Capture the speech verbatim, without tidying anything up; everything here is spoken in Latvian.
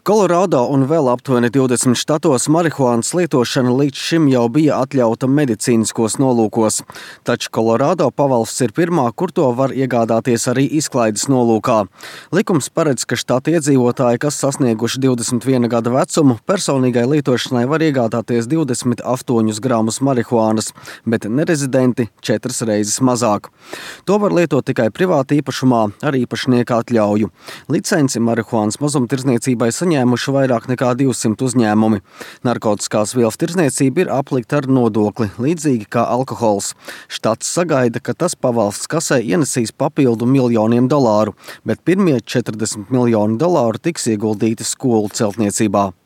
Kolorādo un vēl aptuveni divdesmit štatos marihuānas lietošana līdz šim jau bija atļauta medicīniskos nolūkos. Taču Kolorādo pavalsts ir pirmā, kur to var iegādāties arī izklaides nolūkā. Likums paredz, ka štata iedzīvotāji, kas sasnieguši divdesmit viena gada vecumu, personīgai lietošanai var iegādāties divdesmit astoņus gramus marihuānas, bet nerezidenti četras reizes mazāk. To var lietot tikai privāti īpašumā ar īpašnieka atļauju. Licenci marihuānas mazumtirdzniecībai saņēmuši vairāk nekā divsimt uzņēmumi. Narkotiskās vielas tirdzniecība ir aplikta ar nodokli, līdzīgi kā alkohols. Štats sagaida, ka tas pavalsts kasē ienesīs papildu miljoniem dolāru, bet pirmie četrdesmit miljoni dolāru tiks ieguldīti skolu celtniecībā.